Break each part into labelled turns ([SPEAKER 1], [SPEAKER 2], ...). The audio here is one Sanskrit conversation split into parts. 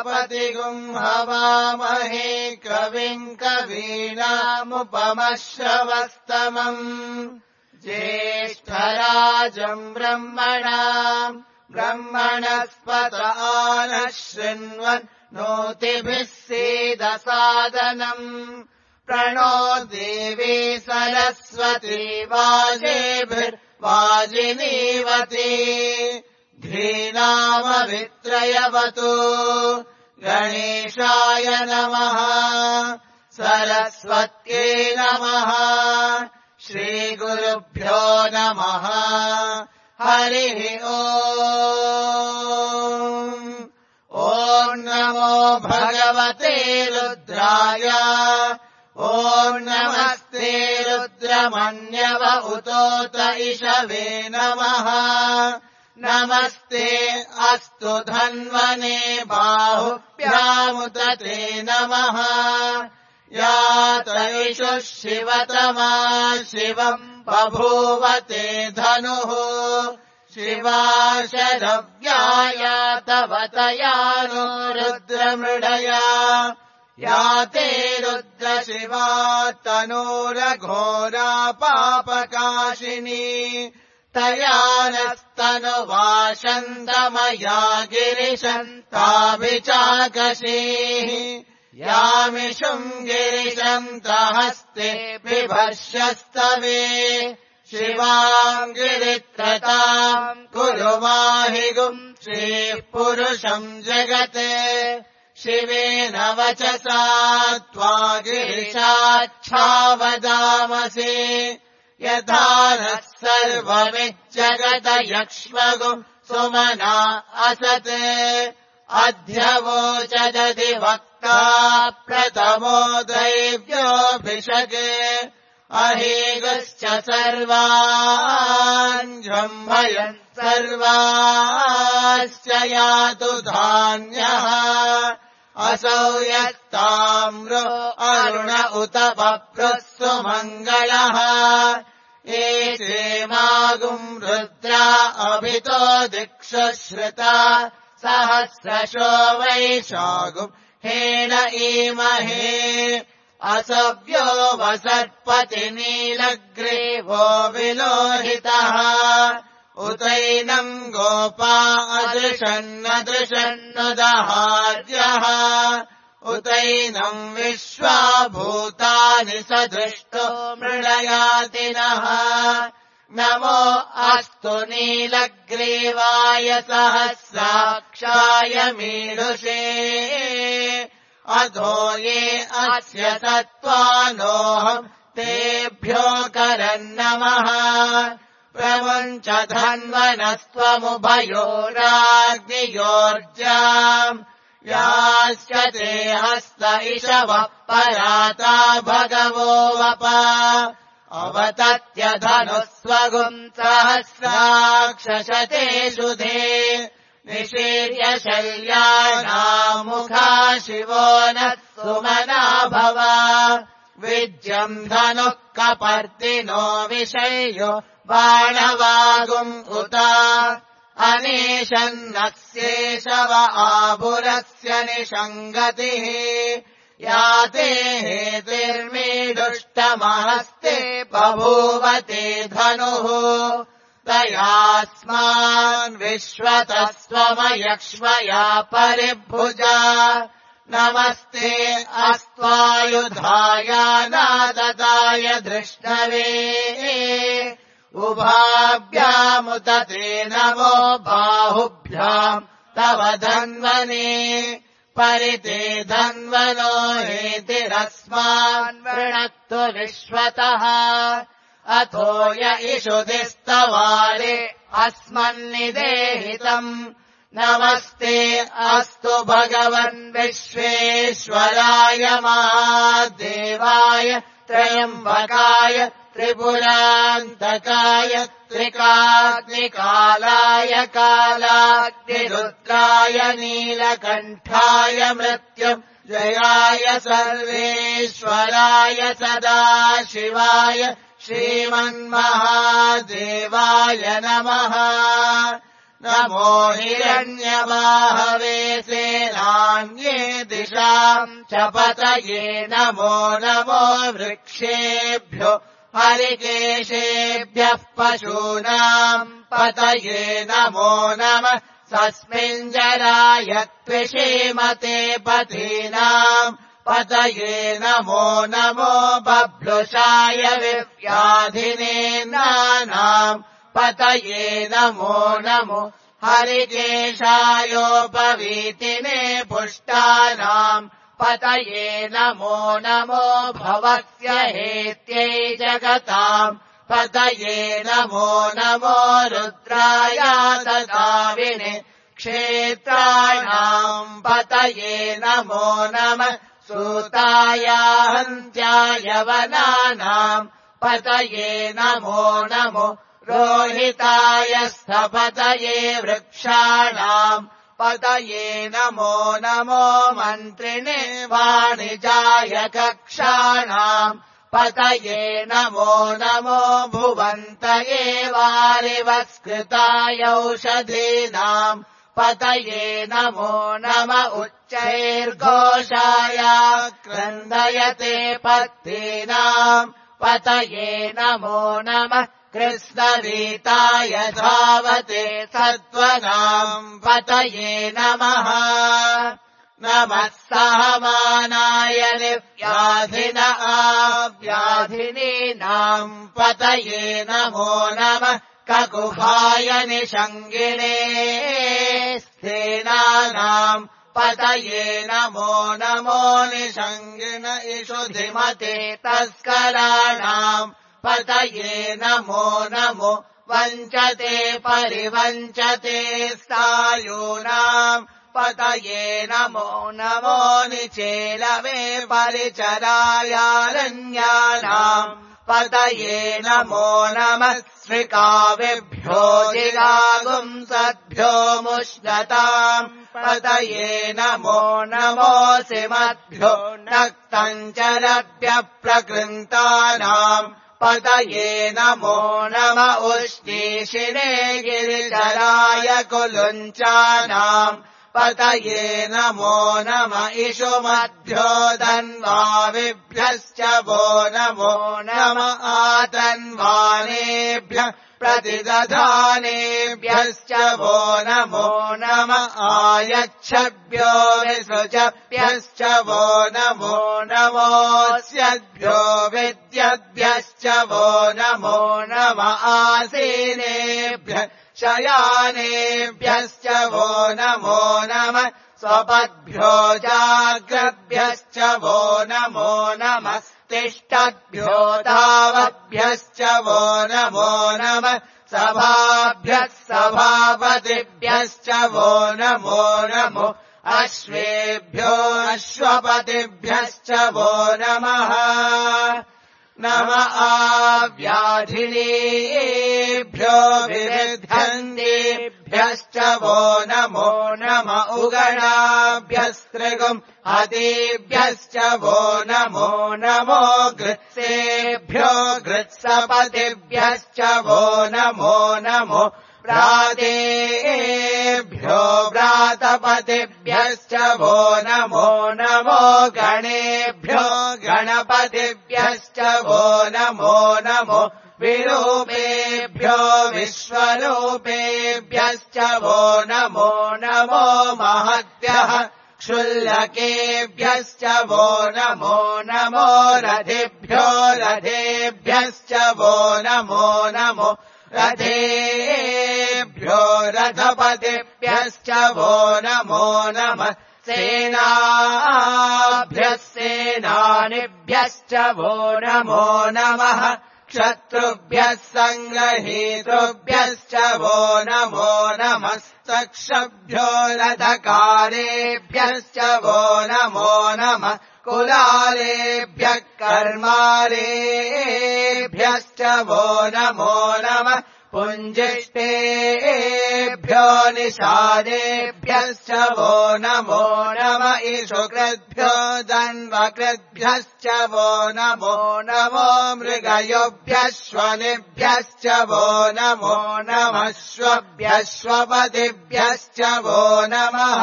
[SPEAKER 1] प्रजापतिगुम् हवामहे कविम् कवीनामुपमश्रवस्तमम् ज्येष्ठराजम् ब्रह्मणस्पत नः शृण्वन् नोतिभिः सीदसादनम् प्रणो देवी सरस्वती वाजेभिर्वाजिनीवती धीनामभित्रयवतु गणेशाय नमः सरस्वत्यै नमः श्रीगुरुभ्यो नमः हरिः ॐ नमो भगवते रुद्राय ॐ नमस्ते रुद्रमन्यव उतोत इषवे नमः नमस्ते अस्तु धन्वने बाहुभ्यामुत ते नमः यात इषुः शिवतमा शिवम् बभूवते धनुः शिवाशरव्याया तव तयानो रुद्रमृडया या ते रुद्रशिवा तनूरघोरा पापकाशिनी तया नस्तनुवाशन्तमया गिरिशन्ताभिचाकशीः यामिषुम् गिरिशन्तहस्ते बिभर्ष्यस्तवे शिवाम् गिरित्रताम् कुरु माहिगुम् श्रीः पुरुषम् जगते शिवेन वचसा त्वा गिरिशाच्छावदामसि यथा नः सर्वमिज्जगदयक्ष्मगुम् सुमना असते अध्यवोचदधि वक्ता प्रथमो दैव्योऽभिषगे अहेगश्च सर्वान् जम्भयन् सर्वाश्च यातु धान्यः असौ यत्ताम्रो अरुण उत बभ्रुः सुमङ्गलः एषेमागुम् रुद्रा अभितो दिक्षु श्रुता सहस्रशो वैशागुम् हेन ईमहे असव्यो वसर्पति नीलग्रीवो विलोहितः उतैनम् गोपा अदृशन्नदृशन्नुदहार्यः उतैनम् विश्वाभूतानि सदृष्टो मृळयातिनः नमो अस्तु नीलग्रीवाय सहस्राक्षाय मीढुषे अधो ये अस्य सत्त्वानोऽहम् तेभ्यो करन्नमः प्रमुञ्च धन्वनस्त्वमुभयोराग्नियोर्जाम् याश्च ते हस्त इषवः पराता भगवो वप अवतत्यधनुस्वगुम् सहस्राक्षशते शुधे निशीर्य शल्यानामुखा शिवो नः सुमना भव विज्यम् धनुः कपर्दिनो विषय्यो बाणवागुम् उत अनेशन्नस्येषव आभुरस्य निषङ्गतिः याते हेतिर्मीडुष्टमहस्ते बभूवते धनुः तयास्मान् विश्वतः स्वमयक्ष्मया परिभुजा नमस्ते अस्त्वायुधाय नाददाय धृष्णवे उभाभ्यामुत ते नमो बाहुभ्याम् तव धन्वने परिते धन्वनो हेतिरस्मान् वृणक्तु विश्वतः अथो य इषुधिस्तवारे अस्मन्निदेहितम् नमस्ते अस्तु भगवन् विश्वेश्वराय महादेवाय त्र्यम्बकाय त्रिपुरान्तकाय त्रिकाग्निकालाय कालाग्निरुद्राय नीलकण्ठाय मृत्युम् जयाय सर्वेश्वराय सदाशिवाय श्रीमन्महादेवाय नमः नमो हिरण्यबाहवे सेनान् वाम्ये दिशाम् च पतये नमो नमो वृक्षेभ्यो हरिकेशेभ्यः पशूनाम् पतये नमो नमः तस्मिञ्जराय त्विषीमते पतीनाम् पतये नमो नमो बभ्रुषाय विव्याधिनेन्द्राणाम् पतये नमो नमो हरिकेशायोपवीतिने पुष्टानाम् पतये नमो नमो भवस्य हेत्यै जगताम् पतये नमो नमो रुद्राय ददाविने क्षेत्राणाम् पतये नमो नमः सूताय हन्त्याय वनानाम् पतये नमो नमो रोहिताय स्थपतये वृक्षाणाम् पतये नमो नमो मन्त्रिणे वाणिजाय कक्षाणाम् पतये नमो नमो भुवन्तये वारिवस्कृताय औषधीनाम् पतये नमो नम उच्चैर्घोषाय क्रन्दयते पत्नीनाम् पतये नमो नमः कृष्णवीताय धावते सत्त्वनाम् पतये नमः नमः सहमानाय निव्याधिन आव्याधिनीनाम् पतये नमो नमः ककुभाय निषङ्गिणे स्तेनानाम् पतये नमो नमो निषङ्गिण इषुधिमते तस्कराणाम् पतये नमो नमो वञ्चते परिवञ्चते स्थायूनाम् पतये नमो नमो निचेलवे परिचरायारण्यानाम् पतये नमो नमः श्रिकाविभ्यो जिगागुंसद्भ्यो मुष्णताम् पतये नमो नमोऽसिमद्भ्यो नक्तञ्चरभ्यः प्रकृन्तानाम् पतये नमो नम उष्णीषिणे गिरिचराय कुलुञ्चानाम् पतये नमो नम इषुमद्भ्यो धन्वाविभ्यश्च वो नमो नम आतन्वानेभ्यः प्रतिदधानेभ्यश्च वो नमो नम आयच्छभ्यो विसृजभ्यश्च वो नमो नमोऽस्यभ्यो विद्यद्भ्यश्च वो नमो नम आसीनेभ्यः शयानेभ्यश्च वो नमो नमः स्वपद्भ्यो जाग्रद्भ्यश्च वो नमो नमः तिष्ठद्भ्यो धावद्भ्यश्च वो नमो नमः सभाभ्यः सभापतिभ्यश्च वो नमो नमो अश्वेभ्यो अश्वपतिभ्यश्च वो नमः नम आव्याधिनीभ्यो विरुद्धन्तेभ्यश्च वो नमो नम उगणाभ्यस्त्रिगुम् हतेभ्यश्च वो नमो नमो गृत्सेभ्यो गृत्सपतिभ्यश्च वो नमो नमो व्रातेभ्यो व्रातपतिभ्यश्च वो नमो नमो गणेभ्यो गणपतिभ्यश्च वो नमो नमो विरूपेभ्यो विश्वरूपेभ्यश्च वो नमो नमो महद्भ्यः क्षुल्लकेभ्यश्च वो नमो नमो रथेभ्यो रथेभ्यश्च वो नमो नमो रथेभ्यो रथपतिभ्यश्च वो नमो नमः सेनाभ्यः सेनानिभ्यश्च वो नमो नमः क्षत्रुभ्यः सङ्ग्रहीतृभ्यश्च वो नमो नमस्तक्षभ्यो रथकारेभ्यश्च वो नमो नमः कुलालेभ्यः कर्मारेभ्यश्च वो नमो नमः पुञ्जिष्टेभ्यो निषादेभ्यश्च वो नमो नम इषुकृद्भ्यो दन्वकृद्भ्यश्च वो नमो नमो मृगयोभ्यश्वनिभ्यश्च वो नमो नमः श्वभ्यश्वपतिभ्यश्च वो नमः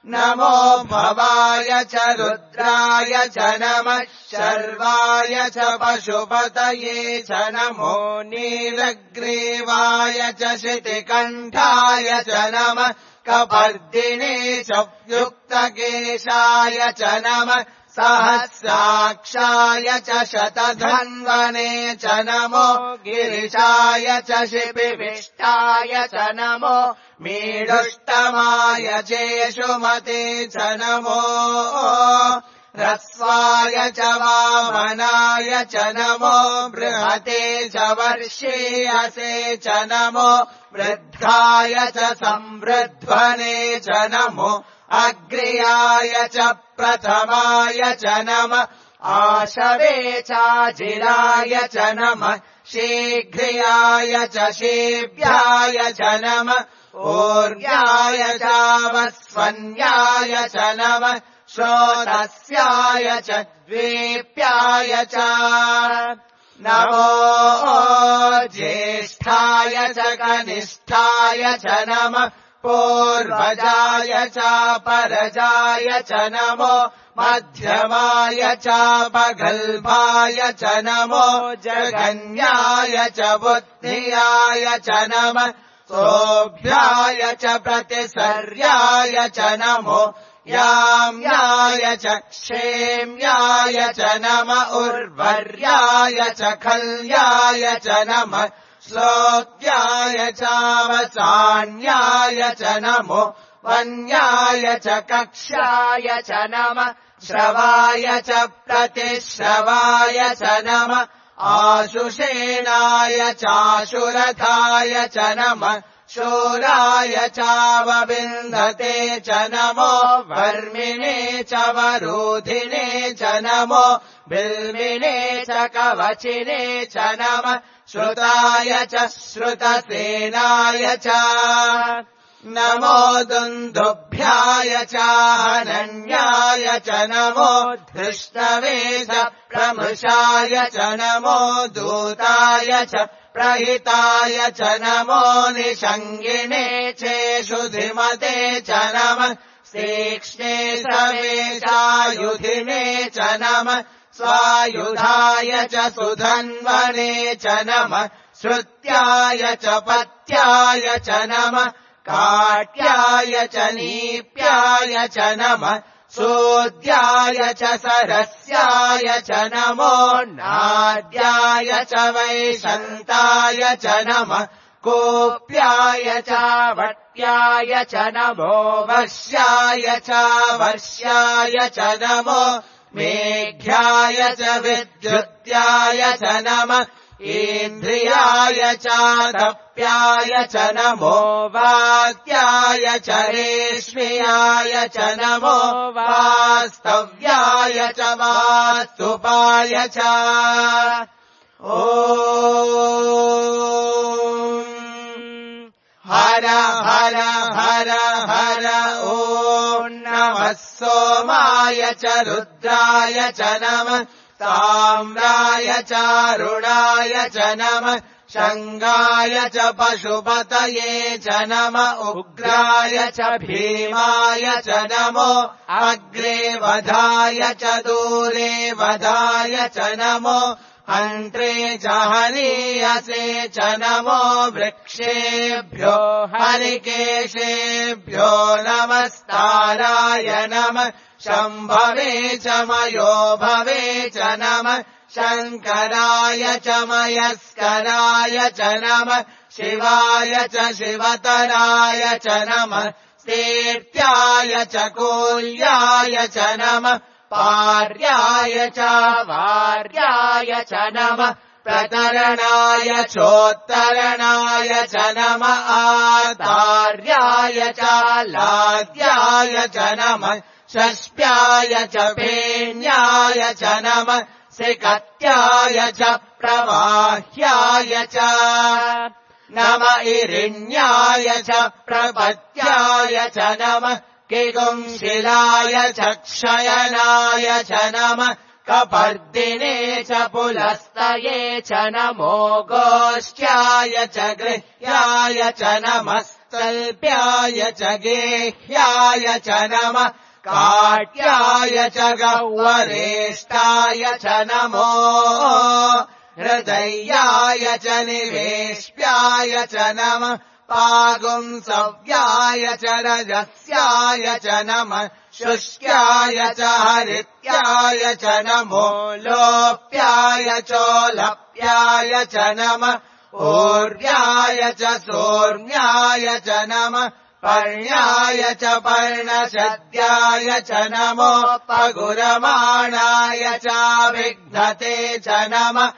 [SPEAKER 1] नम नमो भवाय च रुद्राय च नमः शर्वाय च पशुपतये च नमो नीलग्रीवाय च शितिकण्ठाय च नमः कपर्दिने च युक्तकेशाय च नमः सहस्राक्षाय च शतधन्वने च नमो गिरिशाय च शिपिविष्टाय च नमो मीढुष्टमाय चेषुमते च नमो ह्रस्वाय च वामनाय च नमो बृहते च वर्षीयसे च नमो वृद्धाय च संवृध्वने च नमो अग्र्याय च प्रथमाय च नमः आशवे चाजिराय च नमः शीघ्र्याय च शीभ्याय च नमः ऊर्व्याय चावस्वन्याय च नमः श्रोतस्याय च द्वीप्याय च नमो ज्येष्ठाय च कनिष्ठाय च नमः पूर्वजाय च परजाय च नमो मध्यमाय चापगल्भाय च नमो जगन्याय च बुद्धियाय च नमः सोऽभ्याय च प्रतिसर्याय च नमो याम्याय च क्षेम्याय च नमः उर्वर्याय च खल्याय च नमः श्लोक्याय चावसान्याय च नमो वन्याय च कक्ष्याय च नमः श्रवाय च प्रतिश्रवाय च नमः आशुषेणाय चाशुरथाय च नमः शूराय चावविन्दते च नमो वर्मिणे च वरोधिने च नमो बिल्मिने च कवचिने च नमः श्रुताय च श्रुतसेनाय च नमो दुन्दुभ्याय च हनन्याय च नमो धृष्णवे च प्रमृषाय च नमो दूताय च प्रहिताय च नमो निषङ्गिणे चेषुधिमते च नमः तीक्ष्णे सवेशायुधिने च नमः स्वायुधाय च सुधन्वने च नमः श्रुत्याय च पत्याय च नमः काट्याय च नीप्याय च नमः सोद्याय च सरस्याय च नमो नाद्याय च वैशन्ताय च नमः कोप्याय च वट्याय च नमो वर्ष्याय च वर्ष्याय च नमो मेघ्याय च विद्युत्याय च नमः इन्द्रियाय च दप्याय च नमो वात्याय च रेष्म्याय च नमो वास्तव्याय च वास्तुपाय च ॐ हर हर हर हर ॐ नमः सोमाय च रुद्राय च नमः ताम्राय चारुणाय च नमः शङ्गाय च पशुपतये च नमः उग्राय च भीमाय च नमो अग्रे वधाय च दूरे वधाय च नमो हन्त्रे च हनीयसे च नमो वृक्षेभ्यो हरिकेशेभ्यो नमस्ताराय नमः शम्भवे च मयो भवे च नमः शङ्कराय च मयस्कराय च नमः शिवाय च शिवतराय च नमः सेत्याय च कोल्याय च नमः पार्याय च वार्याय च नमः प्रतरणाय चोत्तरणाय च नमः आतार्याय च लाद्याय च नमः षष्प्याय च पेन्याय च नमः सिकत्याय च प्रवाह्याय च नम इरिण्याय च प्रपत्याय च नमः किगुंशिलाय च क्षयनाय च नमः कपर्दिने च पुलस्तये च नमो गोष्ठ्याय च गृह्याय च नमस्तल्प्याय च गेह्याय च नमः काट्याय च गह्वरेष्ठाय च नमो हृदयाय च निवेश्याय च नमः पागुंसव्याय च रजस्याय च नमः शुष्क्याय च हरित्याय च नमो लोप्याय चोलप्याय च नमः ऊर्व्याय च सोर्म्याय च नमः पर्ण्याय च पर्णशद्याय च नमो पगुरमाणाय चाभिघ्नते च नमः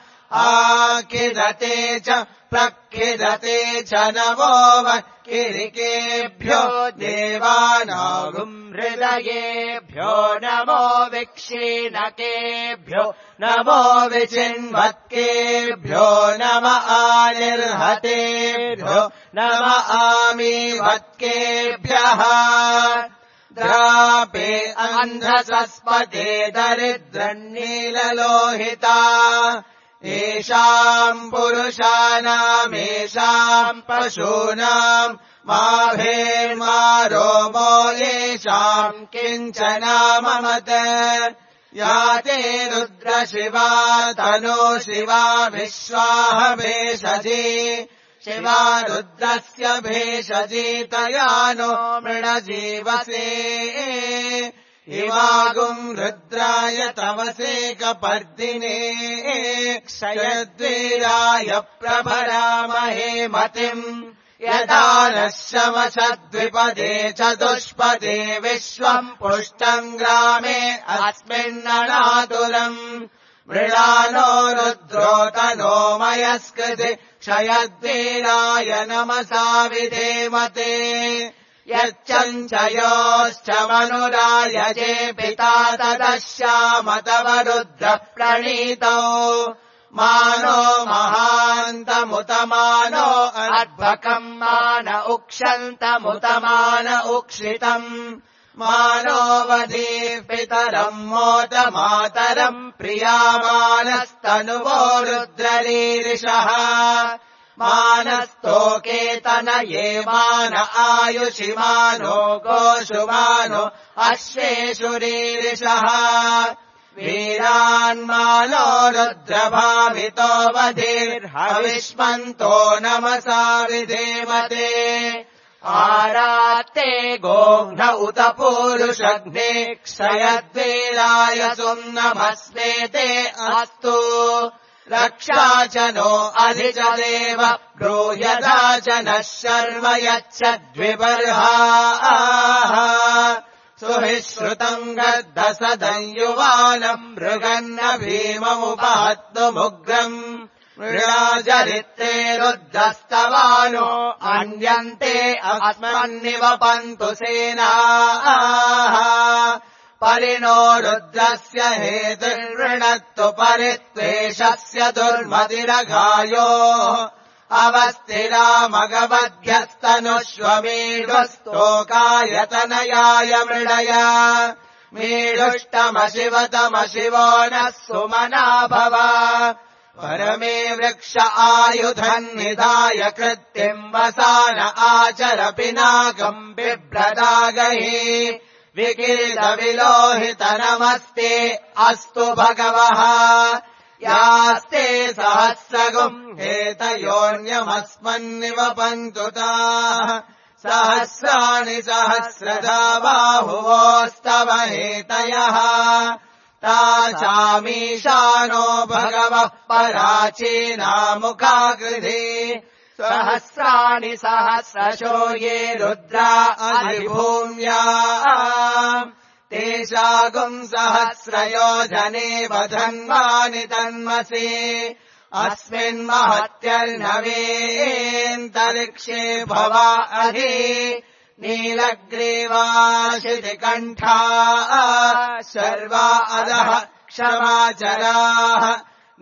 [SPEAKER 1] आकिदते च प्रखिदते च नमो वक्किरिकेभ्यो देवानागुम् हृदयेभ्यो नमो विक्षीणकेभ्यो नमो विचिन्वत्केभ्यो नम आनिर्हतेभ्यो नम आमीवत्केभ्यः द्रापे अन्धसस्पते दरिद्रन्नीललोहिता येषाम् पुरुषाणामेषाम् पशूनाम् माभेर्मा रोमो येषाम् किञ्चनाममत या ते रुद्रशिवा तनो शिवा विश्वाह भेषजी शिवा रुद्रस्य भेषजी तया नो मृणजीवसे इमागुम् रुद्राय तवसे कपर्दिने क्षयद्वीराय प्रभरामहे मतिम् यदा नः शमशद्विपदे चतुष्पदे विश्वम् पुष्टम् ग्रामे अस्मिन्ननातुरम् मृळानो रुद्रोतनो मयस्कृति क्षयद्वीराय नमसा विधेमते यच्चञ्चयोश्च मनुरायजे पिता तदश्याम तव रुद्रः प्रणीतौ मानो महान्तमुतमानो अर्भकम् मान उक्षन्तमुतमान उक्षितम् मानो वधीः पितरम् मोदमातरम् प्रियामानस्तनुवो रुद्ररीरिषः मानस्तोकेतनये मान आयुषिमानो गोषुमानो अश्वेषुरीरिषः वीरान्मानो रुद्रभावितो वधिर्हविष्मन्तो नमसा विधेमते आरात्ते गोघ्न उत पूरुषघ्ने क्षयद्वीराय सुम्नमस्मेते अस्तु रक्षा च नो अधि च देव ब्रूयधा च नः शर्म यच्छद्विबर्हाः सुहि श्रुतम् गर्दसदं मृगन्न भीममुपहत्तुमुग्रम् मृळाजरित्रे रुद्धस्तवानो अन्यन्ते अस्मन्निवपन्तु सेनाः परिणो रुद्रस्य हेतुर्वृणत्तु परित्वेषस्य दुर्मतिरघायो अवस्थिरामगवध्यस्तनुष्वमीढुस्तोकायतनयाय मृडय मीढुष्टमशिवतमशिवो नः सुमना भव परमे वृक्ष आयुधन्निधाय कृत्तिम् वसान आचर पिनाकम् बिभ्रदागहि विकिरीटविलोहितनमस्ते अस्तु भगवः यास्ते सहस्रगुम् हेतयोऽन्यमस्मन्निवपन्तु ताः सहस्राणि सहस्रधा बाहुवोस्तव हेतयः तासामीशानो भगवः पराचीनामुखाकृधि सहस्राणि सहस्रशो ये रुद्रा अधिभूम्या तेषागुम् सहस्रयोजने वधन्वानि तन्मसि अस्मिन्महत्यर्णवेऽन्तरिक्षे भवा अधि नीलग्रीवाशितिकण्ठा सर्वा अधः क्षमाचराः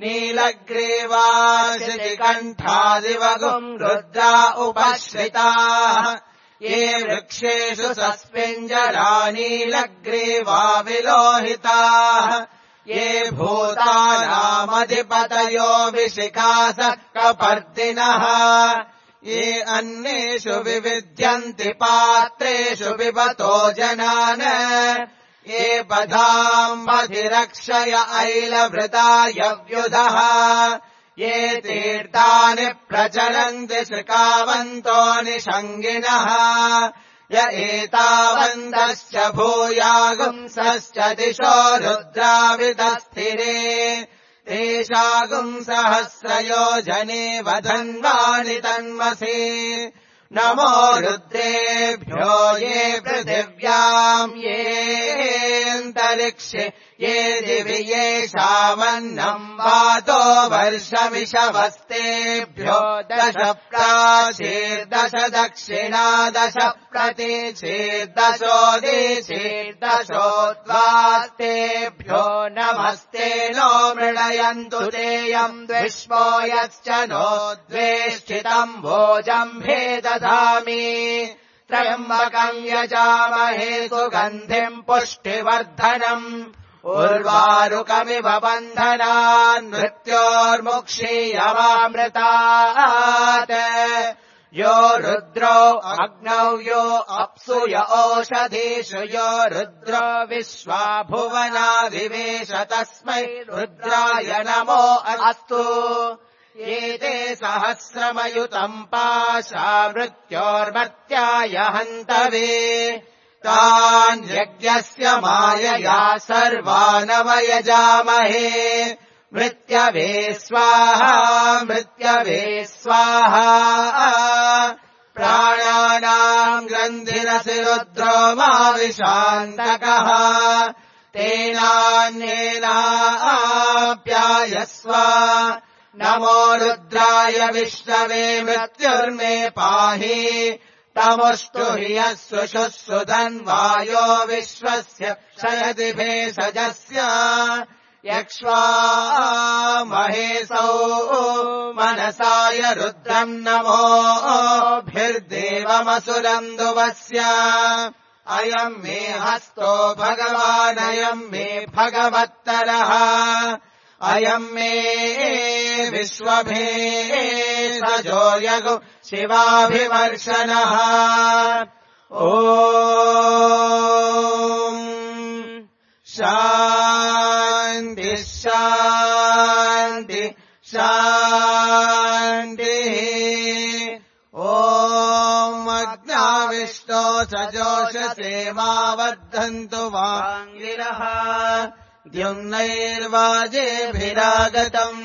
[SPEAKER 1] नीलग्रीवाशितिकण्ठादिवगुम् रुद्रा उपश्रिताः ये वृक्षेषु सस्मिञ्जरा नीलग्रीवा विलोहिताः ये भूतानामधिपतयो विशिखासकपर्दिनः ये अन्येषु विविध्यन्ति पात्रेषु पिबतो जनान् ये बधाम्बधिरक्षय ऐलभृतायव्युधः ये तीर्थानि प्रचरन्ति श्रिकावन्तो निषङ्गिनः य एतावन्तश्च भूयागुंसश्च दिशो रुद्राविदस्थिरे तेषागुंसहस्रयोजने वधन्वानि तन्मसि नमो रुद्रेभ्यो ये पृथिव्याम् येऽन्तरिक्षे ये दिवि येषामन्नम् वातो वर्षमिषवस्तेभ्यो 10 प्राचीर्दश दक्षिणा 10 प्रतीचीर्दशोदिचीर्दशोद्वास्तेभ्यो नमस्ते नो मृडयन्तु तेयम् द्विष्मो यश्च नो द्वेष्टितम् भोजम्भे दधामि त्र्यम्बकम् यजामहे सुगन्धिम् पुष्टिवर्धनम् उर्वारुकमिव बन्धनान् मृत्योर्मुक्षीयमामृतात् यो रुद्रो अग्नौ यो अप्सु य ओषधीषु यो रुद्रो विश्वा भुवना विवेश तस्मै रुद्राय नमो अस्तु एते सहस्रमयुतम् पाशा मृत्योर्मर्त्याय हन्तवे तान् यज्ञस्य मायया सर्वानवयजामहे मृत्यवे स्वाहा मृत्यवे स्वाहा प्राणानाम् ग्रन्थिरसि रुद्रो माविशान्तकः तेनान्येनाप्यायस्व नमो रुद्राय विष्णवे मृत्युर्मे पाहि तमुष्टु ह्रियः सुषुःसुधन्वायो विश्वस्य क्षयति भेषजस्य यक्ष्वा महेशौ मनसाय रुद्रम् नमोभिर्देवमसुरन्दुवस्य अयम् मे हस्तो भगवानयम् मे भगवत्तरः अयम् मे विश्वभेषजो यगु शिवाभिवर्षणः ॐ शान्ति शान्ति शान्तिः ॐ अग्नाविष्टो सजोषसे मा वर्धन्तु वाङ्गिरः द्युम्नैर्वाजेभिरागतम्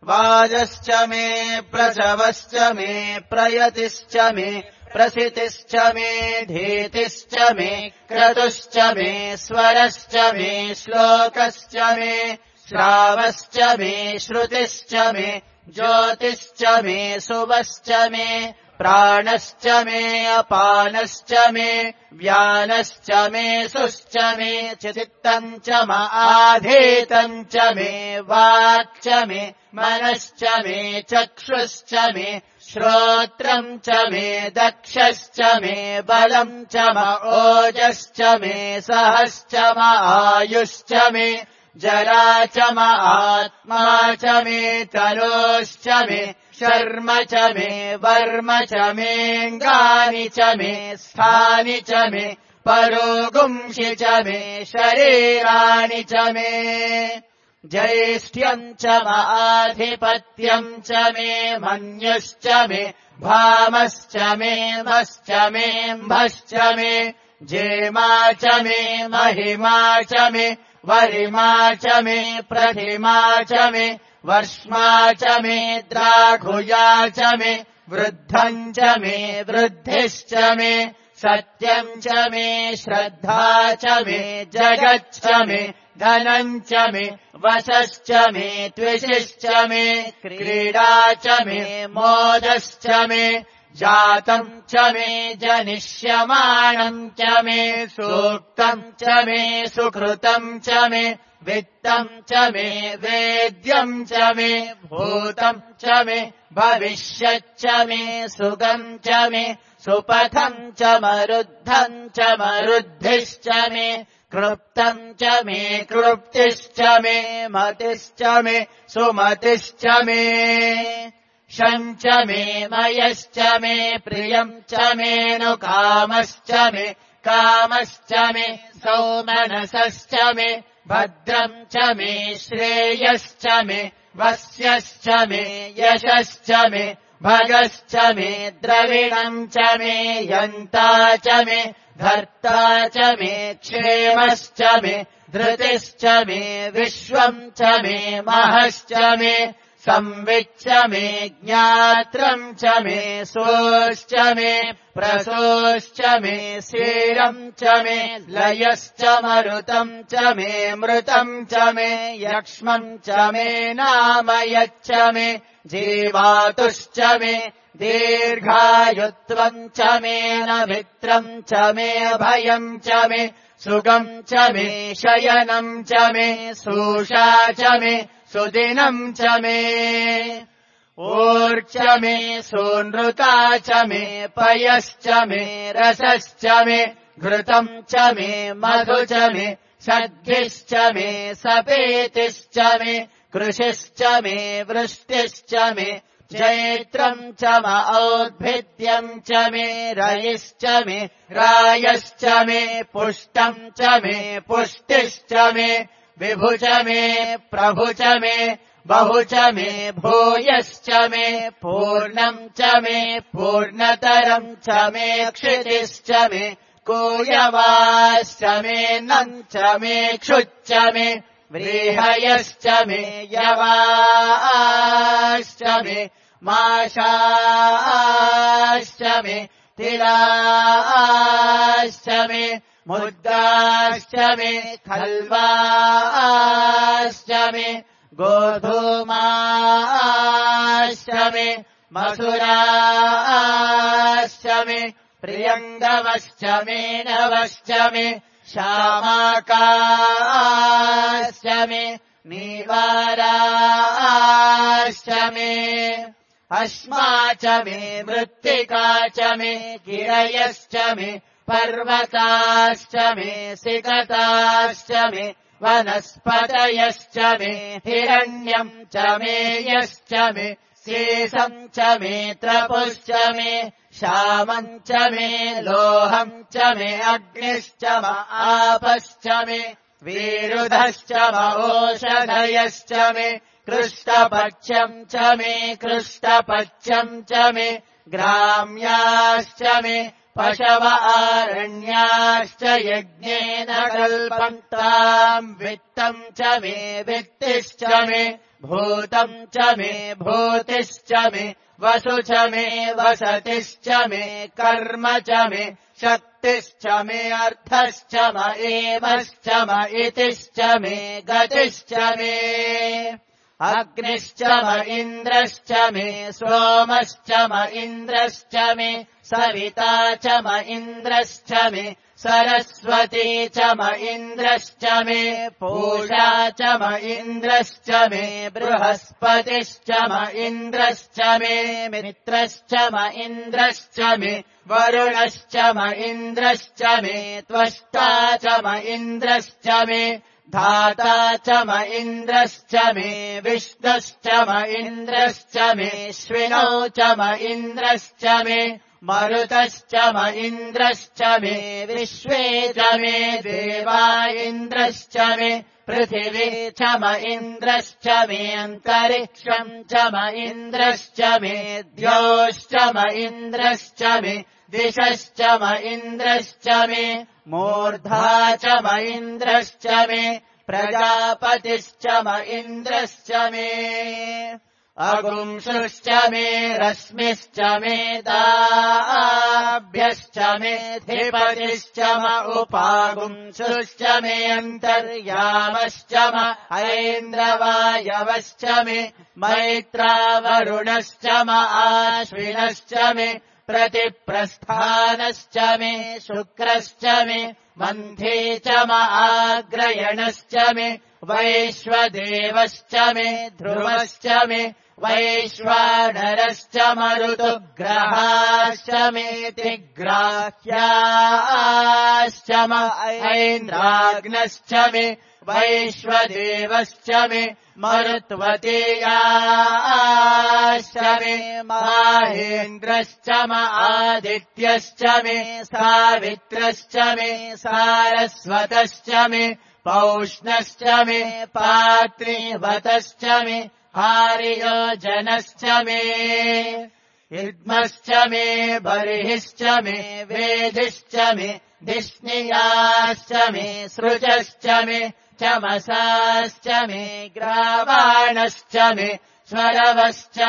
[SPEAKER 1] वाजश्च मे प्रसवश्च मे प्रयतिश्च मे प्रसितिश्च मे धीतिश्च मे क्रतुश्च मे स्वरश्च मे श्लोकश्च मे श्रावश्च मे श्रुतिश्च मे ज्योतिश्च मे सुवश्च मे प्राणश्च मे अपानश्च मे व्यानश्च मे सुश्च मे चित्तम् च आधीतम् च मे वाक् च मे मनश्च मे चक्षुश्च मे श्रोत्रम् च मे दक्षश्च मे बलम् च ओजश्च मे सहश्च आयुश्च मे जरा च आत्मा च मे तनोश्च मे शर्म च मे वर्म च मेऽङ्गानि च मे स्थानि च मे परोगुंषि च मे शरीराणि च मे ज्येष्ठ्यम् च आधिपत्यम् च मे मन्युश्च मे भामश्च मे मश्च मे म्भश्च मे जेमा च मे महिमा च मे वरिमा च मे प्रथिमा च मे वर्ष्मा च मे द्राघुया च मे वृद्धम् च मे वृद्धिश्च मे सत्यम् च मे श्रद्धा च मे जगच्च मे धनम् च मे वशश्च मे त्विषिश्च मे क्रीडा च मे मोदश्च मे जातम् च मे जनिष्यमाणम् च मे सूक्तम् च मे सुकृतम् च मे वित्तम् च मे वेद्यम् च मे भूतम् च मे भविष्यच्च मे सुगम् च मे सुपथम् च मरुद्धम् च मरुद्धिश्च मे क्लृप्तम् च मे क्लृप्तिश्च मे मतिश्च मे सुमतिश्च मे शम् च मे मयश्च मे प्रियम् च मेऽनुकामश्च मे कामश्च मे सौमनसश्च मे भद्रम् च मे श्रेयश्च मे वस्यश्च मे यशश्च मे भगश्च मे द्रविणम् च मे यन्ता च मे धर्ता च मे क्षेमश्च मे धृतिश्च मे विश्वम् च मे महश्च मे संविच्च मे ज्ञात्रम् च मे सोश्च मे प्रसोश्च मे सीरम् च मे लयश्च मरुतम् च मे मृतम् च मे यक्ष्मम् च मे नामयच्च मे जीवातुश्च मे दीर्घायुत्वम् च मे नमित्रम् च मे भयम् च मे सुगम् च मे शयनम् च मे सूषा च मे सुदिनम् च मे ऊर्च मे सूनृता च मे पयश्च मे रसश्च मे घृतम् च मे मधु च मे सद्भिश्च मे सपेतिश्च मे कृषिश्च मे वृष्टिश्च मे जैत्रम् च म औद्भिद्यम् च मे रयिश्च मे रायश्च मे पुष्टम् च मे पुष्टिश्च मे विभु च मे प्रभु च मे बहु च मे भूयश्च मे पूर्णम् च मे पूर्णतरम् च मे क्षितिश्च मे कूयवाश्च मे नम् च मे क्षुच्च मे व्रीहयश्च मे यवाश्च मे माशाश्च मे तिलाश्च मे मुद्गाश्च मे खल्वाश्च मे गोधूमाश्च मे मसुराश्च मे प्रियङ्गवश्च मे नवश्च मे श्यामाकाश्च मे नीवाराश्च मे अश्मा च मे मृत्तिका च मे गिरयश्च मे पर्वताश्च मे सिकताश्च मे वनस्पतयश्च मे हिरण्यम् च मे यश्च मे शेषम् च मे त्रपुश्च मे श्यामम् च मे लोहम् च मे अग्निश्च म आपश्च मे वीरुधश्च म ओषधयश्च मे कृष्टपक्षम् च मे कृष्टपक्षम् च मे ग्राम्याश्च मे पशव आरण्याश्च यज्ञेन कल्पन्ताम् वित्तम् च मे वित्तिश्च मे भूतम् च मे भूतिश्च मे वसु च मे वसतिश्च मे कर्म च मे शक्तिश्च मे अर्थश्च म एमश्च म इतिश्च मे गतिश्च मे अग्निश्च म इन्द्रश्च मे सोमश्च म इन्द्रश्च मे सविता च म इन्द्रश्च मे सरस्वती च म इन्द्रश्च मे पूषा च म इन्द्रश्च मे बृहस्पतिश्च म इन्द्रश्च मे मित्रश्च म इन्द्रश्च मे वरुणश्च म इन्द्रश्च मे त्वष्टा च म इन्द्रश्च मे धाता च म इन्द्रश्च मे विष्णुश्च म इन्द्रश्च मे श्विनौ च म इन्द्रश्च मे मरुतश्च म इन्द्रश्च मे विश्वे च मे देवा इन्द्रश्च मे पृथिवी च म इन्द्रश्च मे अन्तरिक्षम् च म इन्द्रश्च मे द्योश्च म इन्द्रश्च मे दिशश्च म इन्द्रश्च मे मूर्धा च म इन्द्रश्च मे प्रजापतिश्च म इन्द्रश्च मे अगुंसुश्च मे रश्मिश्च मे दाभ्यश्च मे धिपतिश्च म उपागुंसुश्च मे अन्तर्यामश्च म ऐन्द्रवायवश्च मे मैत्रावरुणश्च म आश्विनश्च मे प्रतिप्रस्थानश्च मे शुक्रश्च मे मन्थे च म आग्रयणश्च मे वैश्वदेवश्च मे ध्रुवश्च मे वैश्वानरश्च मरुतुग्रहाश्च मेतिग्राह्याश्च ऐन्द्राग्नश्च मे वैश्वदेवश्च मे मरुत्वतीयाश्च मे माहेन्द्रश्च आदित्यश्च मे सावित्रश्च मे सारस्वतश्च मे पौष्णश्च मे पात्रीवतश्च मे हार्योजनश्च मे इद्मश्च मे बर्हिश्च मे वेदिश्च मे धिष्णियाश्च मे सृजश्च मे चमसाश्च मे ग्रावाणश्च मे स्वरवश्च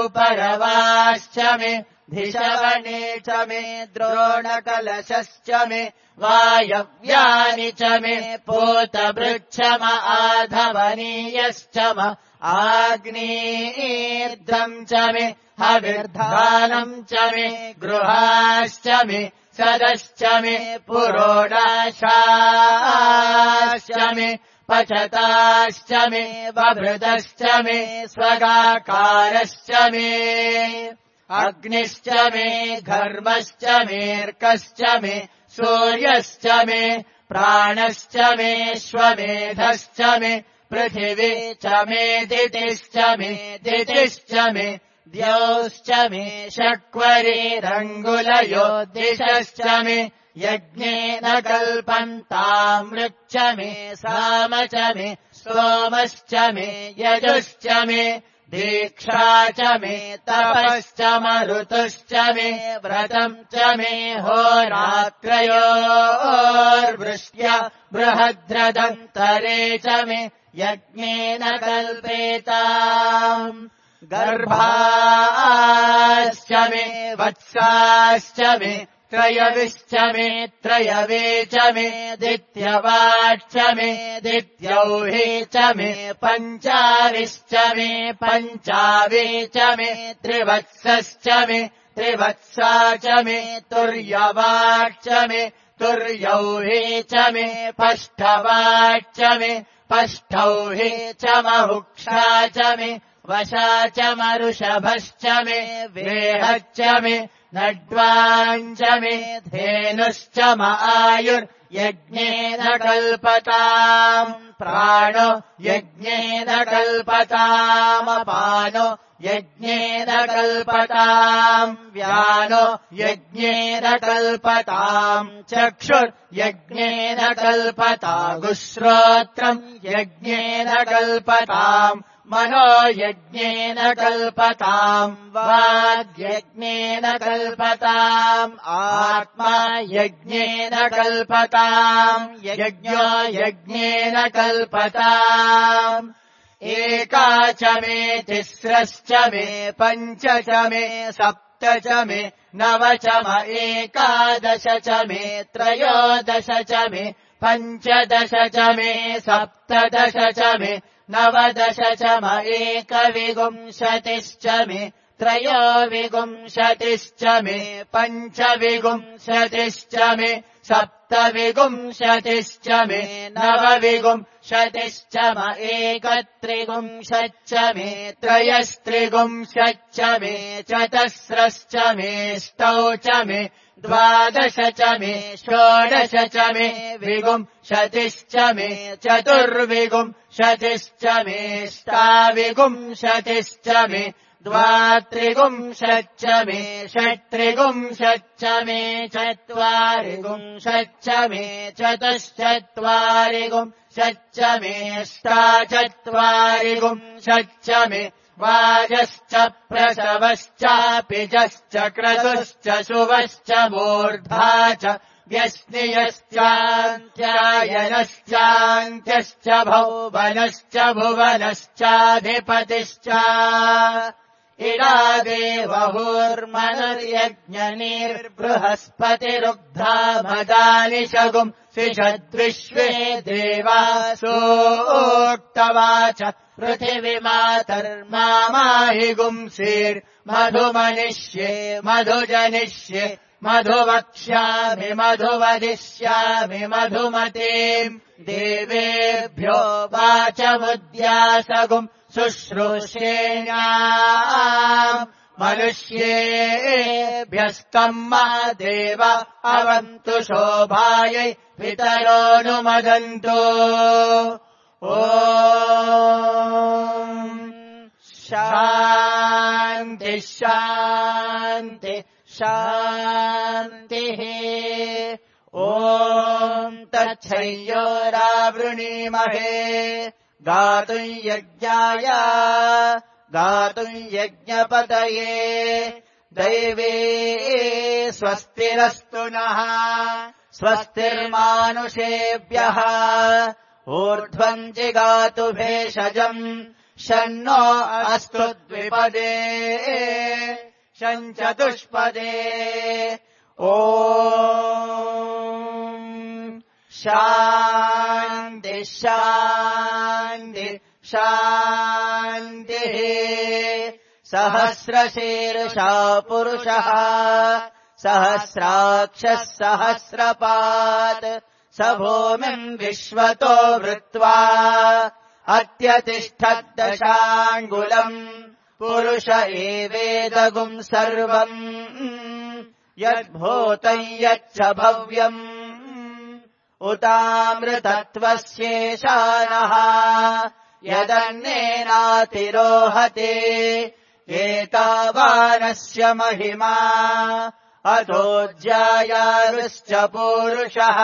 [SPEAKER 1] उपरवाश्च मे धिषवणे च मे द्रोणकलशश्च मे वायव्यानि च मे पूतभृच्छम आधवनीयश्च आग्नेर्धम् च मे हविर्धानम् च मे गृहाश्च मे सदश्च मे पुरोडाशाश्च मे पचताश्च मे बभृतश्च मे स्वगाकारश्च मे अग्निश्च मे घर्मश्च मेऽर्कश्च मे सूर्यश्च मे प्राणश्च मे श्वमेधश्च मे पृथिवी च मे दितिश्च मे द्यौश्च मे षट्वरीरङ्गुलयो दिशश्च मे यज्ञेन कल्पन्तामृच्च मे साम च मे सोमश्च मे यजुश्च मे दीक्षा च मे तपश्च मरुतुश्च मे व्रतम् च मे होरात्रयोर्वृष्ट्या बृहद्रदन्तरे च मे यज्ञेन कल्पेताम् गर्भाश्च मे वत्साश्च मे त्रयविश्च मे त्रयवे च मे दित्यवाच्च मे दित्यौहे च मे पञ्चाविश्च मे पञ्चावे च मे त्रिवत्सश्च मे त्रिवत्सा च मे तुर्यवाच्च मे तुर्यौहे च मे पष्ठवाच्च मे पष्ठौहे च महुक्षा च मे वशा च मरुषभश्च मे वेहच्च मे नड्वाञ्च मे धेनुश्च आयुर्यज्ञेन कल्पताम् प्राणो यज्ञेन कल्पतामपानो यज्ञेन कल्पताम् व्यानो यज्ञेन कल्पताम् चक्षुर्यज्ञेन कल्पतागुश्रोत्रम् यज्ञेन कल्पताम् मनो यज्ञेन कल्पताम् वाग्यज्ञेन कल्पताम् आत्मा यज्ञेन कल्पताम् यज्ञो यज्ञेन कल्पताम् एका च मे तिस्रश्च मे पञ्च च मे सप्त च मे नव च एकादश च मे त्रयोदश च मे पञ्चदश च मे सप्तदश च मे नवदश च एकविंशतिश्च मे त्रयोविंशतिश्च मे पञ्चविंशतिश्च मे सप्तविंशतिश्च मे नवविंशतिश्च एकत्रिंशच्च मे त्रयस्त्रिंशच्च मे चतस्रश्च मेष्टौ च मे द्वादश च मे षोडश च मे विंशतिश्च मे चतुर्विंशतिश्च मेष्टाविंशतिश्च मे द्वात्रिंशच्च मे षट्त्रिंशच्च मे चत्वारिंशच्च मे चतुश्चत्वारिंशच्च मेष्टाचत्वारिंशच्च मे वाजश्च प्रसवश्चापिजश्च क्रतुश्च शुभश्च मूर्धा च व्यस्नियश्चान्त्यायनश्चान्त्यश्च भौवनश्च भुवनश्चाधिपतिश्च इडादेवहुर्मनुर्यज्ञनिर्बृहस्पतिरुग्धा मदानि शगुम् सिषद्विश्वे देवासोक्तवाच पृथिवीमातर्माहि गुंसीर्मधुमनिष्ये मधुजनिष्ये मधुवक्ष्यामि मधुवदिष्यामि मधुमतीम् देवेभ्यो वाचमुद्यासगुम् शुश्रूषेण्याम् मनुष्येभ्यस्तम् मा देव अवन्तु शोभायै पितरोऽनुमदन्तु ॐ शान्ति शान्ति शान्तिः ॐ तच्छयोरावृणीमहे गातुम् यज्ञाय गातुम् यज्ञपतये दैवे स्वस्तिरस्तु नः स्वस्तिर्मानुषेभ्यः ऊर्ध्वम् जिगातु भेषजम् शन्नो अस्तु द्विपदे शञ्चतुष्पदे ॐ शान्ति शान्ति शान्तिः सहस्रशीर्षा पुरुषः सहस्राक्षः सहस्रपात् स भूमिम् विश्वतो वृत्वा अत्यतिष्ठद्दशाङ्गुलम् पुरुष एवेदगुम् सर्वम् यद्भूतम् यच्च भव्यम् उतामृतत्वस्येषानः यदन्नेनातिरोहते एतावानस्य महिमा अधोऽज्यायारुश्च पूरुषः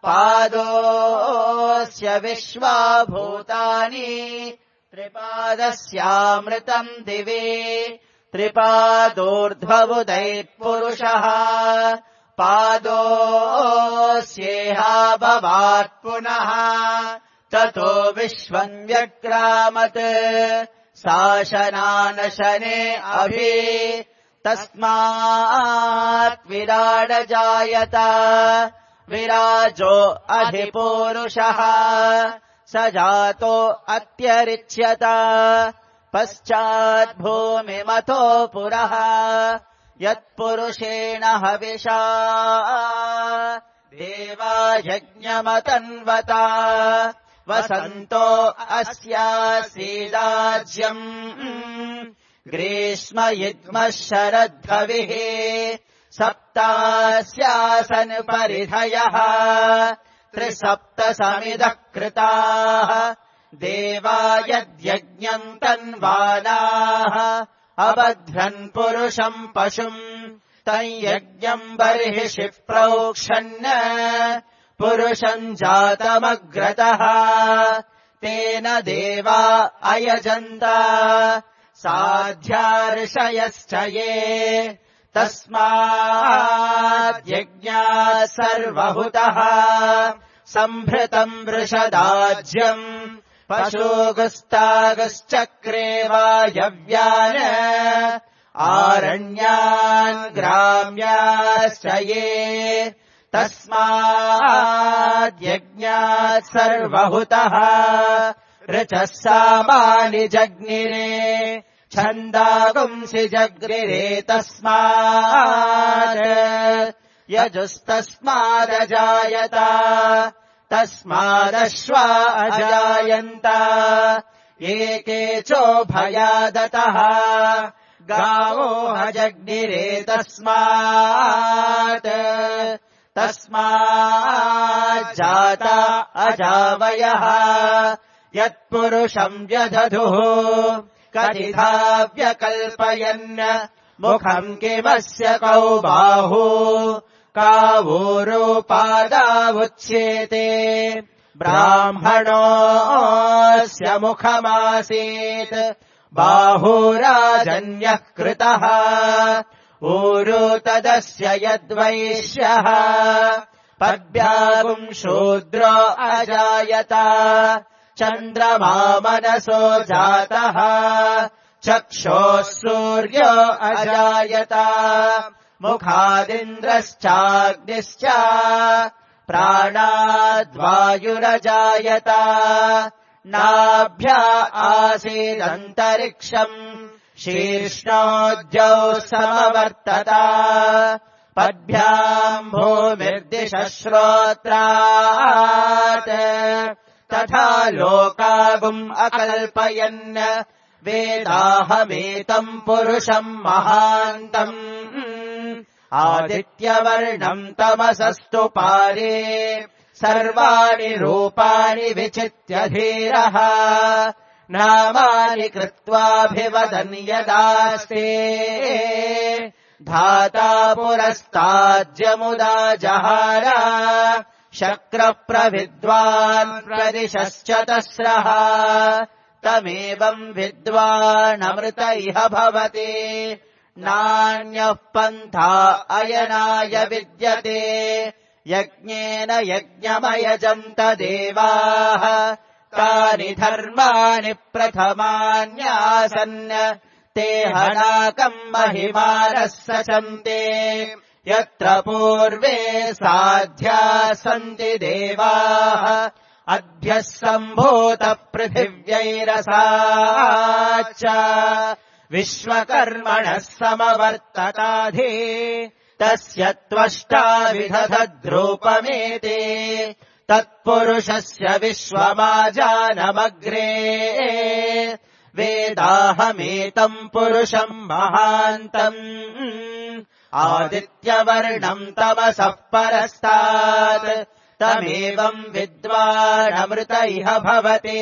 [SPEAKER 1] पादोऽस्य विश्वाभूतानि त्रिपादस्यामृतम् दिवे त्रिपादोर्ध्वबुधैः पादोऽस्येहाभवात् पुनः ततो विश्वम् व्यक्रामत् शासनानशने अभि तस्मात् विराडजायत विराजो अधिपूरुषः स जातो अत्यरिच्यत पश्चाद्भूमिमतो पुरः यत्पुरुषेण हविषा देवा यज्ञमतन्वता वसन्तो अस्यासीदाज्यम् ग्रीष्म युग्मः शरद्धविः सप्तास्यासन् परिधयः त्रिसप्तसमिदः कृताः देवा यद्यज्ञम् तन्वानाः अबध्रन् पुरुषम् पशुम् तम् यज्ञम् बर्हिषि प्रोक्षन् पुरुषम् जातमग्रतः तेन देवा अयजन्त साध्यार्षयश्च ये तस्माद्यज्ञात् सर्वहुतः सम्भृतम् वृषदाज्यम् पशुगुस्तागश्चक्रे वायव्यान् आरण्यान् ग्राम्याश्च ये तस्माद्यज्ञात् सर्वहुतः ऋचः सामानि जग्निरे छन्दागुंसि जग्निरे तस्मात् यजुस्तस्मादजायत तस्मादश्वा अजायन्त एके चोभयादतः गावो हजग्निरे तस्माज्जाता अजावयः यत्पुरुषम् व्यदधुः कथिथा व्यकल्पयन् मुखम् किमस्य कौ बाहु कावोरोपादावुच्येते ब्राह्मणोऽस्य मुखमासीत् बाहुराजन्यः कृतः ऊरो तदस्य यद्वैश्यः पद्भ्यागुम् शूद्रो अजायत चन्द्रमा मनसो जातः चक्षोः सूर्यो अजायत मुखादिन्द्रश्चाग्निश्च प्राणाद्वायुरजायत नाभ्या आसीदन्तरिक्षम् शीर्ष्णोऽद्यौ समवर्तत पद्भ्याम् भूमिर्दिशश्रोत्रात् तथा लोकागुम् अकल्पयन् वेदाहमेतम् पुरुषम् महान्तम् आदित्यवर्णम् तमसस्तु पारे सर्वाणि रूपाणि विचित्य धीरः नामानि कृत्वाभिवदन् यदास्ते धाता पुरस्ताज्यमुदा जहार शक्रप्रविद्वान् प्रदिशश्चतस्रः तमेवम् विद्वानमृत इह भवति नान्यः पन्था अयनाय विद्यते यज्ञेन यज्ञमयजन्त देवाः तानि धर्माणि प्रथमान्यासन् ते हनाकम् महिमानः सचन्ते यत्र पूर्वे साध्या सन्ति देवाः अद्भ्यः सम्भूतपृथिव्यैरसाच्च विश्वकर्मणः समवर्तताधि तस्य त्वष्टा विदधद्रूपमेते तत्पुरुषस्य विश्वमाजानमग्रे वेदाहमेतम् पुरुषम् महान्तम् आदित्यवर्णम् तमसः परस्तात् तमेवम् विद्वानमृत इह भवति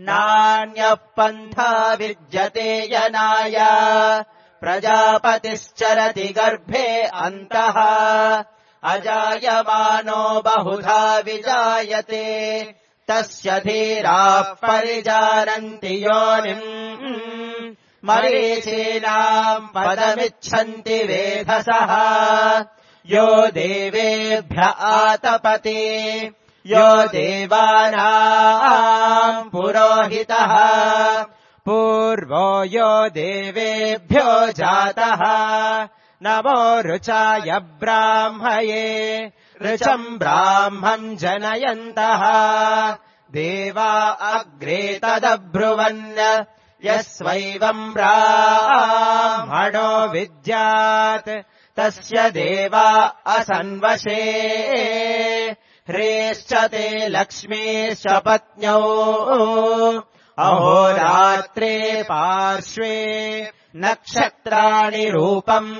[SPEAKER 1] नान्यः पन्था विद्यते यनाय प्रजापतिश्चरति गर्भे अन्तः अजायमानो बहुधा विजायते तस्य धीराः परिजानन्ति योनिम् मरीचीनाम् पदमिच्छन्ति वेधसः यो देवेभ्य आतपति यो देवानाम् पुरोहितः पूर्वो यो देवेभ्यो जातः नमो ऋचाय ब्राह्मये ऋचम् ब्राह्मम् जनयन्तः देवा अग्रे तदब्रुवन् यस्वैवम् ब्राह्मणो विद्यात् तस्य देवा असन्वशे ह्रेश्च ते लक्ष्मीश्च पत्न्यौ अहोरात्रे पार्श्वे नक्षत्राणि रूपम्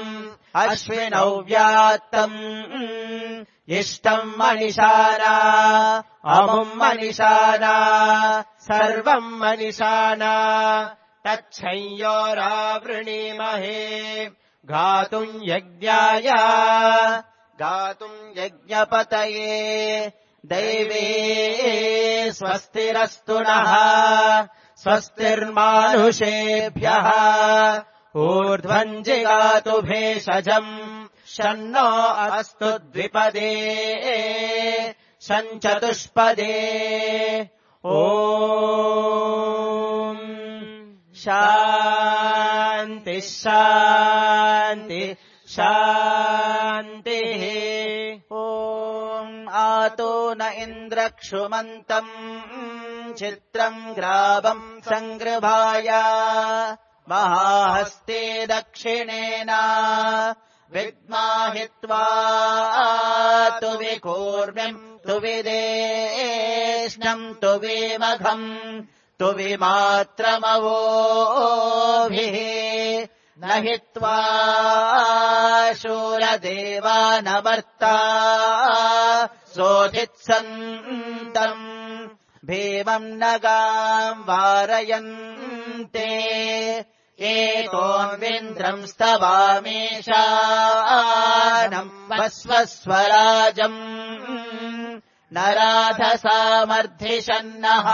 [SPEAKER 1] अश्विनौ व्यात्तम् इष्टम् मनिषाना अमुम् मनिषाना सर्वम् मनिषाना तच्छंयोरावृणीमहे गातुम् यज्ञाय गातुम् यज्ञपतये दैवे स्वस्तिरस्तु नः स्वस्तिर्मानुषेभ्यः ऊर्ध्वम् जिगातु भेषजम् शन्नो अस्तु द्विपदे शञ्चतुष्पदे ॐ शान्ति शान्ति शान्तिः ॐ आतो न इन्द्रक्षुमन्तम् चित्रम् ग्रावम् सङ्गृभाय महाहस्ते दक्षिणेन विद्माहित्वा तु विकूर्म्यम् तु विदेष्णम् तु विमघम् तु विमात्रमवोभिः न हित्वा शूरदेवानमर्ता सोऽधित्सन्तम् भीमम् नगाम् वारयन्ते एतोऽन्विन्द्रम् स्तवामीशानम् वस्वस्वराजम् नराधसामर्धिषन्नः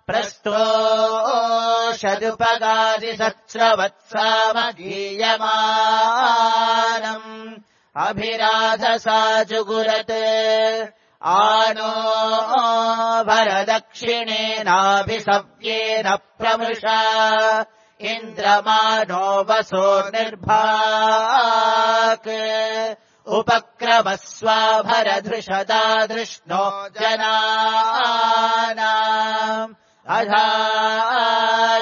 [SPEAKER 1] प्रस्तोषदुपगादिसहस्रवत्सामगीयमानम् अभिराधसा जुगुरत् आनो भरदक्षिणेनाभिसव्येन प्रमृषा इन्द्रमानो वसोर्निर्भाक् उपक्रमस्वाभरधृषदाधृष्णो जनानाम्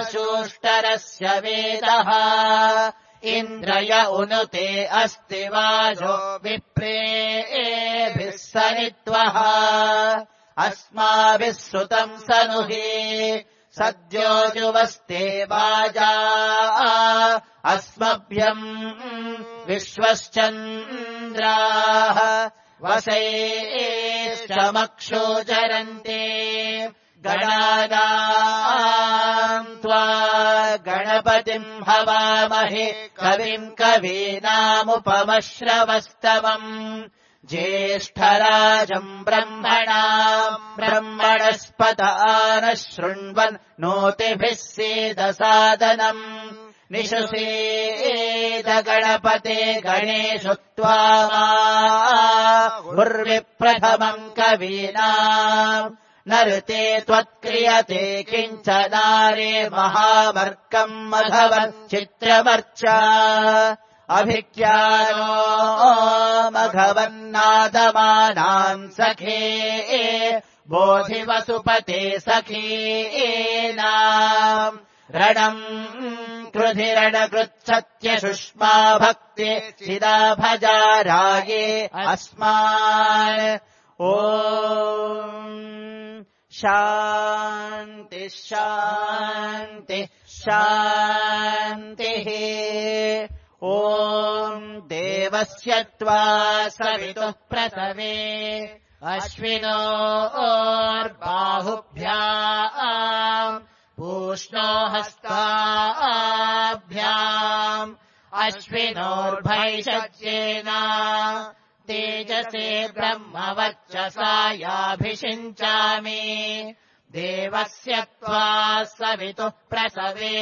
[SPEAKER 1] अधाशूष्टरस्य वेदः इन्द्रय उनुते अस्ति वाजो विप्रेभिः सनित्वः अस्माभिः श्रुतम् सनुहि सद्यो जुवस्ते वाजा अस्मभ्यम् विश्वश्चन्द्राः वसैश्चमक्षोचरन्ते गणानाम् त्वा गणपतिम् हवामहे कविम् कवीनामुपमश्रवस्तमम् ज्येष्ठराजम् ब्रह्मणस्पत नः शृण्वन् नोतिभिः सेदसादनम् निशुषेद गणपते गणेषु त्वामाहुर्विप्रथमम् कवीनाम् नृते त्वत्क्रियते किञ्चनारे महावर्कम् मघवन् चित्रवर्चा अभिज्ञानो मघवन्नादमानाम् सखे बोधिवसुपते सखीनाम् रणम् कृधिरणकृत्सत्यशुष्मा भक्ति चिदा भजाराये अस्मान् ॐ शान्ति शान्ति शान्तिः ॐ देवस्य त्वा सवितुः प्रसवे अश्विनोर्बाहुभ्याम् पूष्णो हस्ताभ्याम् अश्विनोर्भैषज्येन तेजसे ब्रह्मवर्चसायाभिषिञ्चामि देवस्य त्वा सवितुः प्रसवे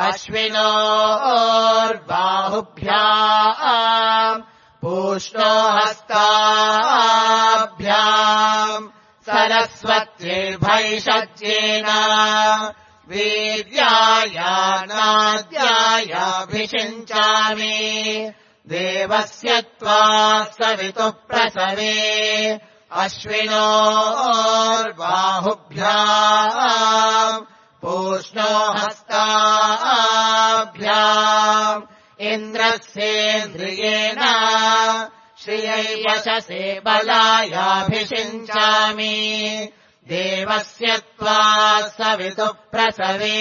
[SPEAKER 1] अश्विनोर्बाहुभ्याम् पूष्णो हस्ताभ्याम् सरस्वत्यैर्भैषज्येन वीर्यायानाद्यायाभिषिञ्चामि देवस्य त्वा सवितुः प्रसवे अश्विनोर्बाहुभ्याम् पूष्णो हस्ताभ्याम् इन्द्रस्येन्द्रियेण श्रियै यशसे बलायाभिषिञ्चामि देवस्य त्वा सवितुः प्रसवे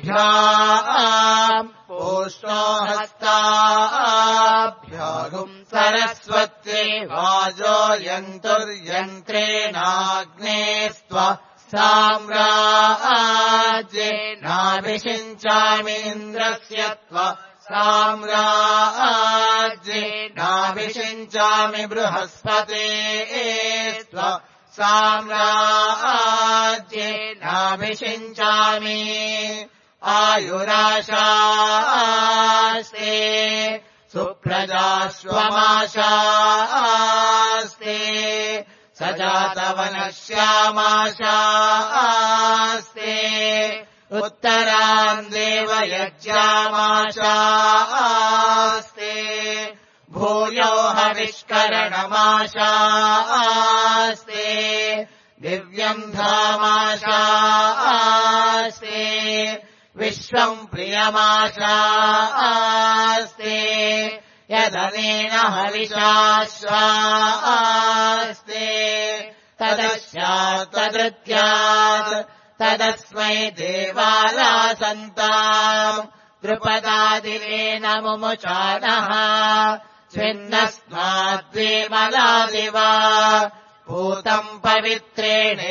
[SPEAKER 1] अश्विनोर्बाहुभ्याम् पूष्णो हस्ताभ्याम् सरस्वत्यै वाजो यन्तुर्यन्त्रेणाग्नेस्त्वा साम्राज्येनाभिषिञ्चामीन्द्रस्य त्वा साम्राज्येनाभिषिञ्चामि बृहस्पते त्वा साम्राज्येनाभिषिञ्चामि आयुराशास्ते सुप्रजाश्वमाशास्ते सजातवनश्यामाशास्ते उत्तरान् देवयज्ञामाशास्ते भूयो हविष्करणमाशास्ते दिव्यम् धामाशास्ते विश्वम् प्रियमाशास्ते यदनेन हविषाश्वास्ते तदस्यात् तदृत्यात् तदस्मै देवालासन्ताम् द्रुपदादिवेन मुमुचानः स्विन्नस्माद्वेमलादिवा पूतम् पवित्रेणेवाज्यम्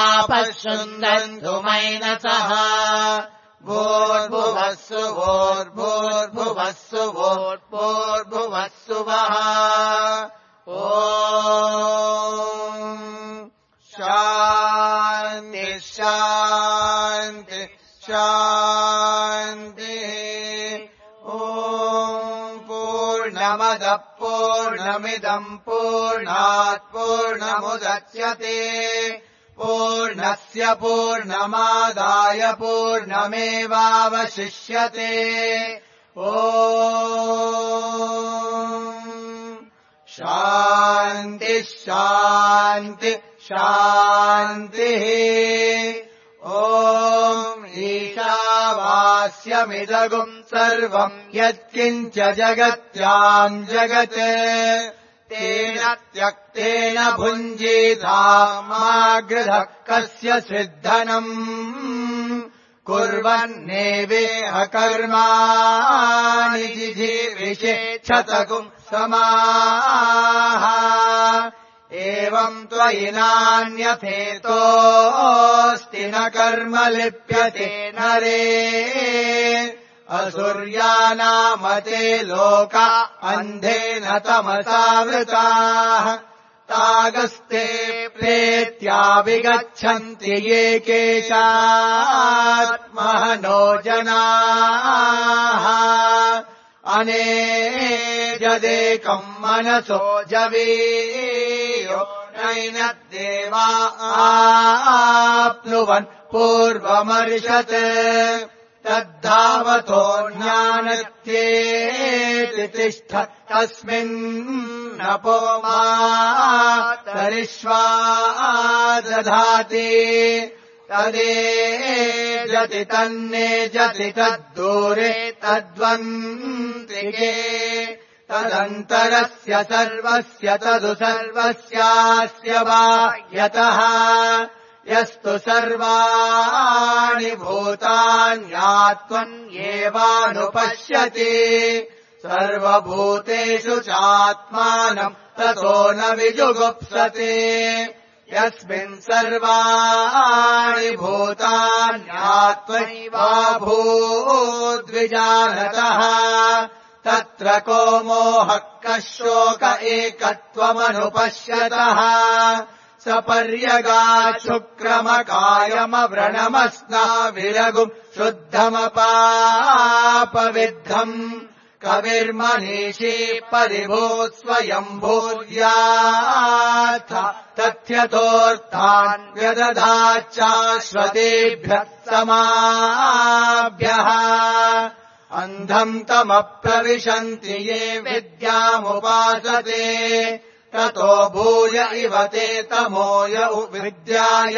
[SPEAKER 1] आपशृन्दन्तु मैनसः भूर्भुवस्सु भूर्भुवस्सु भूर्भुवस्सु वः ॐ शान्ति शान्ति शान्तिः ॐ पूर्णमदः पूर्णमिदम् पूर्णात् पूर्णमुदच्यते पूर्णस्य पूर्णमादाय पूर्णमेवावशिष्यते ॐ शान्ति शान्ति शान्तिः हास्यमिदगुम् सर्वम् यत्किञ्च जगत्याम् जगत् तेन त्यक्तेन भुञ्जीतामागृधः कस्य सिद्धनम् कुर्वन्नेवेह कर्माणि जिजीविषेच्छतगुम् समाः एवम् त्वयि नान्यथेतोऽस्ति न कर्म लिप्यते नरे असुर्यानामते लोका अन्धेन तमसावृताः तागस्ते प्रेत्या विगच्छन्ति ये केशात्महनो जनाः अनेजदेकम् मनसो जवीयो नैन देवा आप्नुवन् पूर्वमर्षत् तद्धावतो ज्ञानत्येति तिष्ठ तस्मिन्नपो मातरिष्वा दधाति तदेजति तन्नेजति तद्दूरे तद्वन्तिके तदन्तरस्य सर्वस्य तदु सर्वस्यास्य वा यतः यस्तु सर्वाणि भूतान्यात्मन्येवानुपश्यति सर्वभूतेषु चात्मानम् ततो न विजुगुप्सते यस्मिन् सर्वाणि भूतान्यात्मैवाभूद्विजानतः तत्र को मोहः कः शोक एकत्वमनुपश्यतः सपर्यगाच्छुक्रमकायमव्रणमस्नाविरगुम् शुद्धमपापविद्धम् कविर्मनीषी परिभूत् स्वयम्भूर्याथ तथ्यतोऽर्थान् व्यदधाच्चाश्वतेभ्यः समाभ्यः अन्धम् तमप्रविशन्ति ये विद्यामुपासते ततो भूय इव ते तमोय विद्यायागुम्रताः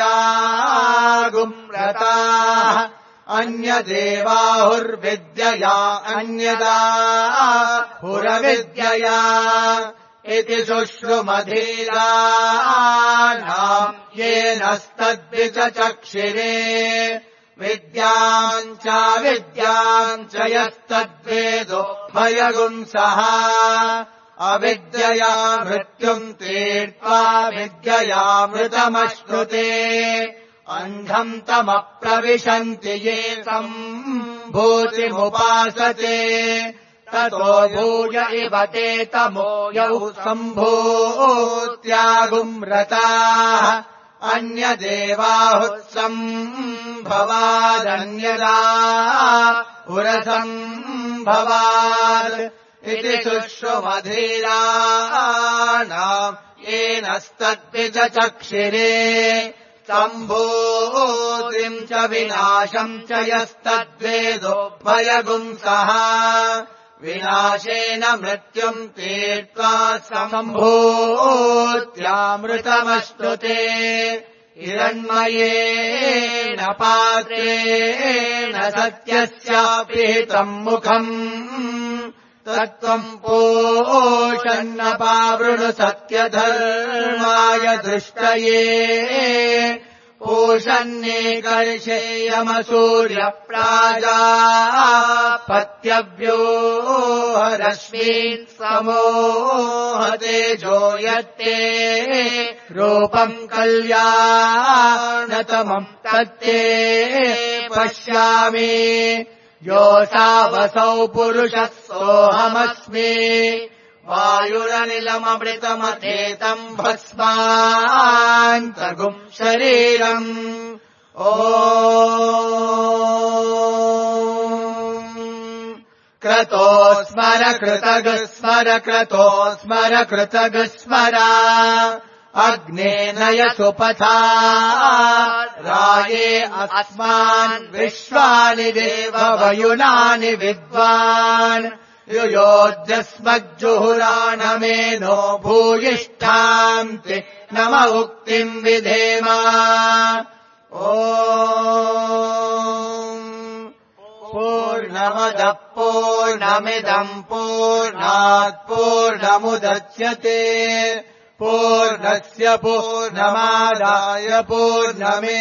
[SPEAKER 1] अन्यदेवाहुर्विद्यया अन्यदाहुरविद्यया इति शुश्रुमधीराणाम् येनस्तद्विचचक्षिरे विद्याम् च यस्तद्वेदो भयगुंसः अविद्यया मृत्युम् तीर्त्वा विद्ययामृतमश्नुते अन्धम् तमप्रविशन्ति ये सम्भूतिमुपासते ततो भूय इव ते तमोयौ सम्भूत्यागुम्रताः अन्यदेवाहुत्सम्भवादन्यदाहुरसम्भवात् इति शुश्रुमधीराणाम् येनस्तद्विचचक्षिरे सम्भूतिम् च विनाशम् च यस्तद्वेदो भयगुंसः विनाशेन मृत्युम् तीर्त्वा सम्भूत्यामृतमश्नुते हिरण्मयेन पात्रेण सत्यस्यापिहितम् मुखम् तत्त्वम् पोषन्नपावृणु सत्यधर्माय दृष्टये पोषन्नेकर्षेयमसूर्यप्राजापत्यव्योहरश्मीन् समोहतेजो यत्ते रूपम् कल्याणतमम् तत्ते पश्यामि योऽसावसौ पुरुषः सोऽहमस्मि वायुरनिलममृतमथेतम् भस्मान्तगुम् शरीरम् ॐ क्रतो स्मर कृतगस्मर क्रतो स्मर कृतगस्मरा अग्ने नय सुपथा राये अस्मान् विश्वानि देववयुनानि विद्वान् युयोध्यस्मज्जुहुराणमेनो भूयिष्ठान्ति नम उक्तिम् विधेम पूर्णमदः पूर्णमिदम् पूर्णात् पूर्णमुदच्यते पूर्णस्य पूर्णमादाय पूर्णमेवावशिष्यते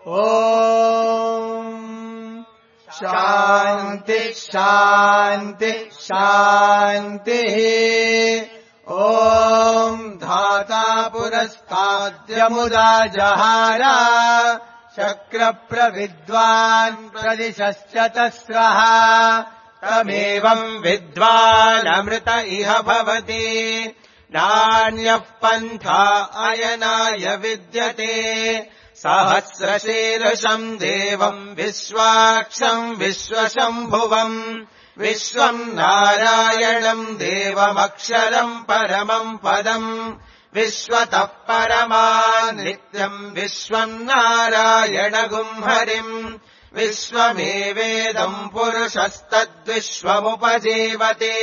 [SPEAKER 1] ॐ शान्ति शान्ति शान्तिः ॐ धाता पुरस्ताद्यमुदा जहार शक्रप्रविद्वान् प्रदिशश्च तस्रः तमेवम् विद्वानमृत इह भवति नान्यः पन्था अयनाय विद्यते सहस्रशीर्षम् देवम् विश्वाक्षम् विश्वशम्भुवम् विश्वम् नारायणम् देवमक्षरम् परमम् पदम् विश्वतः परमान् नित्यम् विश्वम् नारायणगुम् हरिम् विश्वमेवेदम् पुरुषस्तद्विश्वमुपजीवते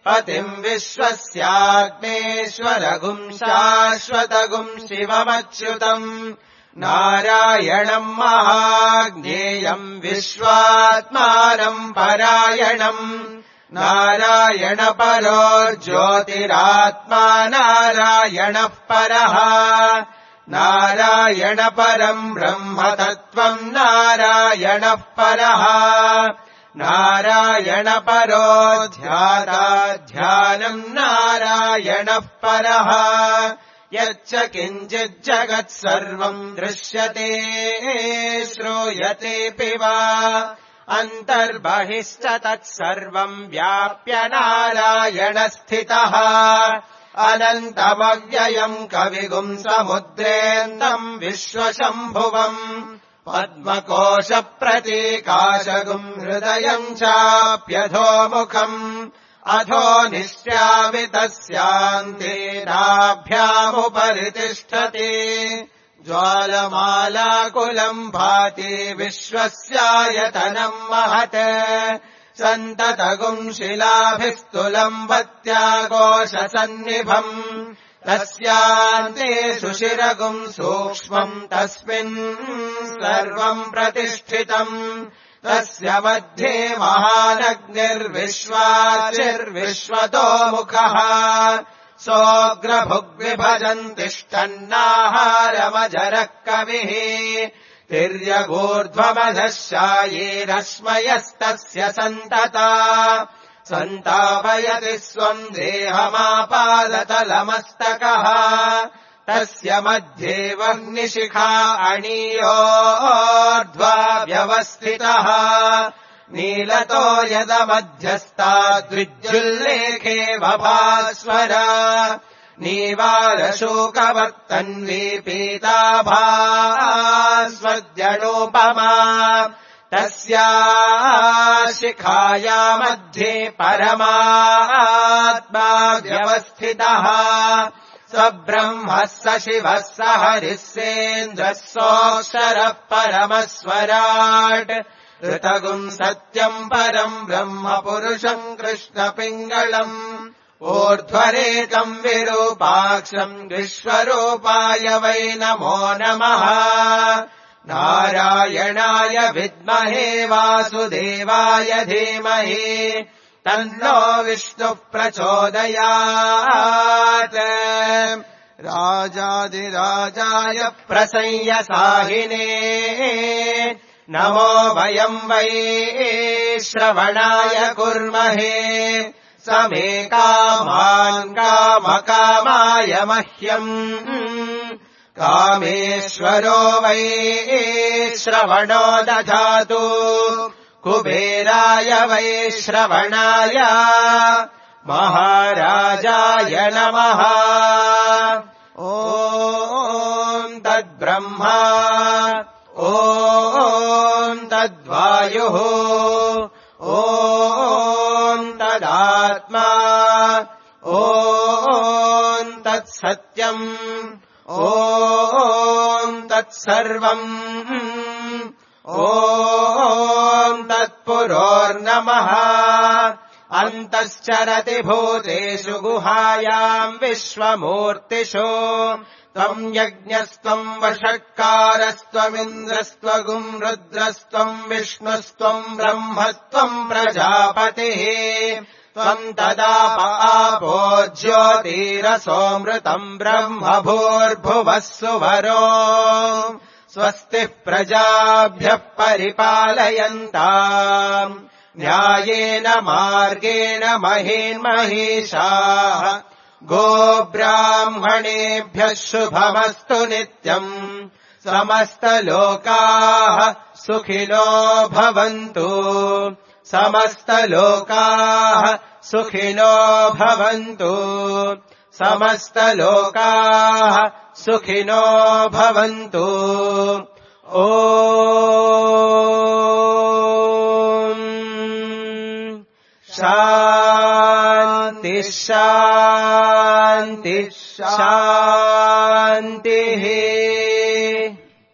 [SPEAKER 1] पतिम् विश्वस्याग्नेश्वरगुम् शाश्वतगुम् शिवमच्युतम् नारायणम् महाज्ञेयम् विश्वात्मानम् परायणम् नारायणपरो ज्योतिरात्मा नारायणः परः नारायणपरम् ब्रह्मतत्त्वम् नारायणः परः नारायणपरो ध्याता ध्यानम् नारायणः परः यच्च किञ्चिज्जगत् सर्वम् दृश्यते श्रूयतेऽपि वा अन्तर्बहिश्च तत्सर्वम् व्याप्य नारायणस्थितः अनन्तमव्ययम् कविगुम् समुद्रेन्दम् विश्वशम्भुवम् पद्मकोशप्रतीकाशगुम् हृदयम् चाप्यधोमुखम् अधो निश्यामि तस्यान्तेनाभ्यामुपरि तिष्ठति ज्वालमालाकुलम् भाति विश्वस्यायतनम् महत् सन्ततगुम् शिलाभिस्तुलम् वत्याघोषसन्निभम् तस्यान्ते सुशिरगुम् सूक्ष्मम् तस्मिन् सर्वम् प्रतिष्ठितम् तस्य मध्ये महानग्निर्विश्वाचिर्विश्वतो मुखः सोऽग्रभुग्विभजन् तिष्ठन्नाहारमजरः कविः तिर्यगूर्ध्वमधः शायीरश्मयस्तस्य सन्तता सन्तापयति स्वम् देहमापादतलमस्तकः तस्य मध्ये वह्निशिखा अणीयोर्ध्वा व्यवस्थितः नीलतो यदमध्यस्ताद्विद्युल्लेखे वभास्वर नीवारशोकवर्तन्वी पीताभास्वद्यणोपमा तस्या शिखाया मध्ये परमात्मा व्यवस्थितः स ब्रह्मः स शिवः स हरिः सेन्द्रः सोऽक्षरः परमस्वराट् ऋतगुम् सत्यम् परम् ब्रह्म पुरुषम् कृष्णपिङ्गलम् ऊर्ध्वरेकम् विरूपाक्षम् विश्वरूपाय वै नमो नमः नारायणाय विद्महे वासुदेवाय धीमहि तन्नो विष्णुः प्रचोदयात् राजाधिराजाय प्रसंयसाहिने नमो वयम् वै श्रवणाय कुर्महे समे कामान् कामकामाय मह्यम् कामेश्वरो वै श्रवणो दधातु कुबेराय वै श्रवणाय महाराजाय नमः ॐ तद्ब्रह्मा ॐ तद्वायुः ॐ तदात्मा ॐ तत्सत्यम् ॐ तत्सर्वम् ॐ तत्पुरोर्नमः अन्तश्चरति भूतेषु गुहायाम् विश्वमूर्तिषु
[SPEAKER 2] त्वम् यज्ञस्त्वम् वषट्कारस्त्वमिन्द्रस्त्वगुम् रुद्रस्त्वम् विष्णुस्त्वम् ब्रह्मस्त्वम् प्रजापतिः त्वम् तदाप आपो ज्योतिरसोऽमृतम् ब्रह्म भूर्भुवः सुवरो स्वस्तिः प्रजाभ्यः परिपालयन्ताम् न्यायेन मार्गेण महीन्महीषाः गोब्राह्मणेभ्यः शुभमस्तु नित्यम् समस्तलोकाः सुखिनो भवन्तु समस्तलोकाः सुखिनो भवन्तु समस्तलोकाः सुखिनो भवन्तु ॐ शान्तिः शान्तिः शान्तिः